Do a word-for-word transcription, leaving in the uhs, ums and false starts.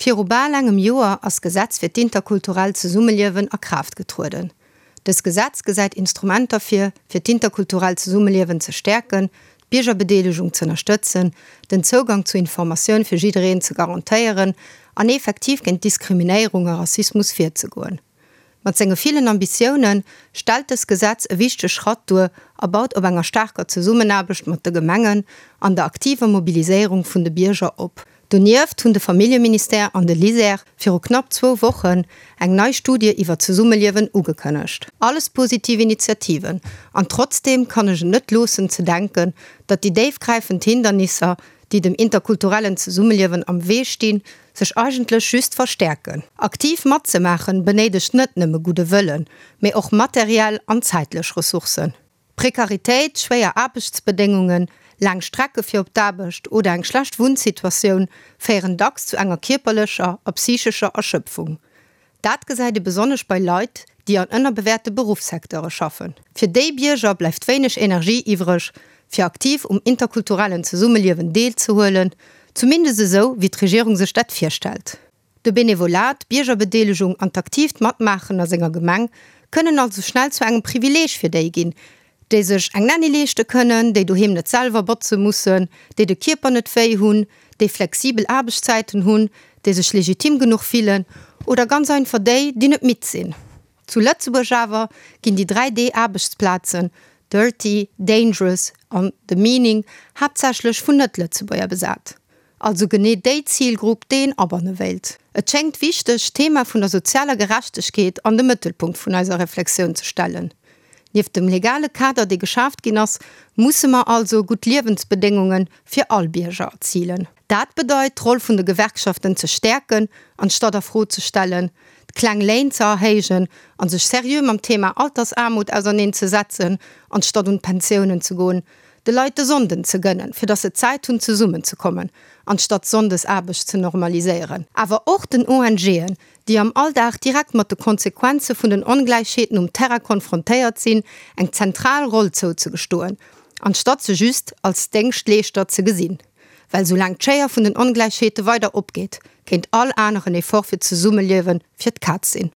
Viru bal engem Joer ass d'Gesetz fir d'interkulturellt Zesummeliewen a Kraaft getrueden. Dëst Gesetz gesäit Instrumenter vir, fir d'interkulturellt Zesummeliewen ze stäerken, d'Biergerbedeelegung ze ënnerstëtzen, den Zougang zu Informatioun fir jiddereen ze garantéieren an effektiv géint Diskriminéierung a Rassismus virzegoen. Mat senge villen Ambitioune stellt dëst Gesetz e wichtege Schratt duer a baut op enger staarker Zesummenaarbecht mat de Gemengen an der aktiver Mobiliséierung vun de Bierger op. Donieft hunn de Familljeministère an de LISER viru knapp zwou Wochen eng nei Studie iwwer d'Zesummeliewen ugekënnegt. Alles positiv Initiativen, an trotzdeem kann ech et net loossen ze denken, datt déi déifgräifend Hindernisser, déi dem interkulturellen Zesummeliewen am Wee stinn, sech eigentlech just verstäerken. Aktiv matzemaachen benéidegt net nëmme gudde Wëllen, mee och materiell an zäitlech Ressourcen. Prekaritéit, schwéier Aarbechtsbedéngungen, laang Strecke fir op d'Aarbecht oder eng schlecht Wunnsituatioun féieren dacks zu enger kierperlecher a psychescher Erschöpfung. Dat gesäit ee besonnesch bei Leit, déi an ënnerbewäerte Beruffssecteure schaffen. Fir déi Bierger bleift wéineg Energie iwwreg, fir aktiv um interkulturellen Zesummeliewen deelzehuelen, zumindest esou, wéi d'Regierung sech dat virstellt. De Benevolat, d'Biergerbedeelegung an d'aktiivt Matmaachen a senger Gemeng kënnen also schnell zu engem Privileeg fir déi ginn, déi sech eng Nanny leeschte kënnen, déi doheem net selwer botze mussen, déi de Kierper net wéi hunn, déi flexibel Aarbechtszäiten hunn, déi sech legitim genuch fillen oder ganz einfach déi, déi net midd sinn. Zu Lëtzebuerg awer ginn déi dräi D-Aarbechtsplazen, dirty, dangerous an demeaning, haaptsächlech vun Net-Lëtzebuerger besat. Also genee déi Zilgrupp, déi een abanne wéilt. Et schéngt wichteg, d'Thema vun der sozialer Gerechtegkeet an de Mëttelpunkt vun eiser Reflexioun ze stellen. Nieft dem legale Kader, dee geschaaft ginn ass, musse mer also gutt Liewensbedéngunge fir all Bierger erzilen. Dat bedeit, d'Roll vun de Gewerkschaften ze stäerken, anstatt a Fro ze stellen, d'kleng Léin ze erhéijen a sech seriö mam Thema Altersaarmut auserneen ze setzen, anstatt un d'Pensiounen ze goen, de Leit de Sonnden ze gënnen, fir datt se Zäit hunn zesummen ze kommen, anstatt Sonndesaarbecht ze normaliséieren. Awer och den ONGen, déi am Alldag direkt mat de Konsequenze vun den Ongläichheeten um Terrain konfrontéiert sinn, eng zentral Roll zouzegestoen, anstatt se just als Déngschtleeschter ze gesinn. Well soulaang d'Schéier vun den Ongläichheete weider opgeet, kéint all aneren Effort fir d'Zesummeliewe fir d'Kaz sinn.